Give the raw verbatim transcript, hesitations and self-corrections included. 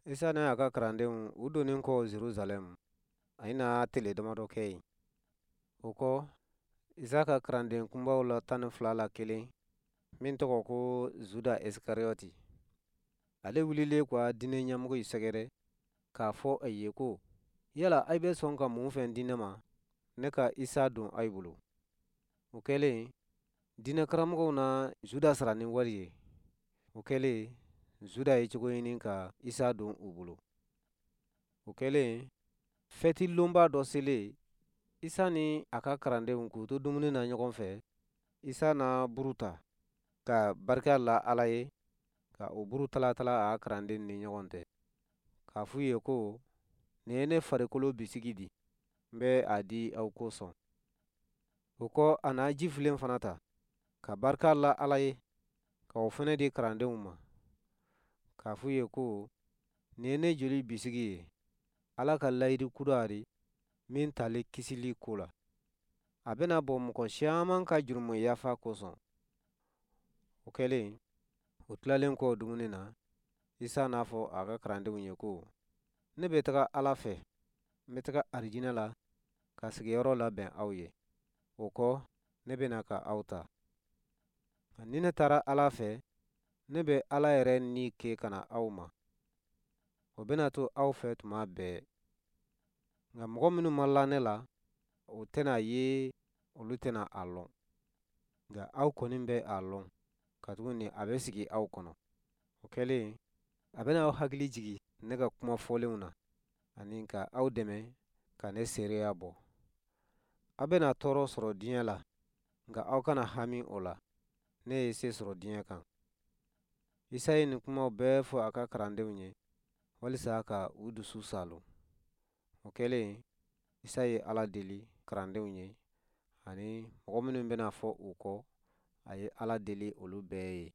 Isa n'a ka kalandenw u donnen kɔ Jerusalɛm, a na tile damadɔ kɛ yen. O kɔ, Isa ka kalanden kunbaw la tan ni fila la kelen, min tɔgɔ ko Zuda Isikariyɔti, ale wulilen ka diinɛ ɲɛmɔgɔw sɛgɛrɛ k'a fɔ a ye ko, yala aw bɛ sɔn ka mun fɛn di ne ma, ne ka Isa don aw bolo? O kɛlen, diinɛ karamɔgɔw na Zuda sara ni wari ye. O kɛlen, Zuda ye cogo ɲini ka Isa don u bolo. O kɛlen, fɛti lonba dɔ selen, Isa ni a ka kalandenw k'u to dumuni na ɲɔgɔn fɛ, Isa na buru ta ka barika la Ala ye, ka o buru talatala a ka kalanden ni ɲɔgɔn cɛ, k'a f'u ye ko, nin ye ne farikolo bisigi di, n bɛ a di aw kosɔn. O kɔ, a na jifilen fana ta, ka barika la Ala ye, ka o fana di kalandenw ma, k'a f'u ye ko, nin ye ne joli bisigi ye, Ala ka layidu kura di, min tali kisili ko la. A bɛna bɔ mɔgɔ caman ka jurumu yafa kosɔn. O kɛlen, o tilalen kɔ dumuni na, Isa n'a fɔ a ka kalandenw ye ko, ne bɛ taga Ala fɛ, n bɛ taga arijinɛ la ka sigiyɔrɔ labɛn aw ye. O kɔ, ne bɛna ka aw ta. Ni ne taara Ala fɛ, ne bɛ Ala yɛrɛ ni kɛ ka na aw ma. O bɛna to aw fɛ tuma bɛɛ. Nka mɔgɔ minnu ma la ne la, o tɛna ye, olu tɛna a lɔn. Nka aw kɔni bɛ a lɔn, katuguni a bɛ sigi aw kɔnɔ. O kɛlen, a bɛna aw hakili jigin ne ka kuma fɔlenw na, ani ka aw dɛmɛ ka ne seereya bɔ. Aw bɛna tɔɔrɔ sɔrɔ diɲɛ la, nka aw kana hami o la. Ne ye se sɔrɔ diɲɛ kan. Isa ye nin kumaw bɛɛ fɔ a ka kalandenw ye, walisa ka u dusu saalo. O kɛlen, Isa ye Ala deli kalandenw ye, ani mɔgɔ minnu bɛna fɔ u kɔ, a ye Ala deli olu bɛɛ ye.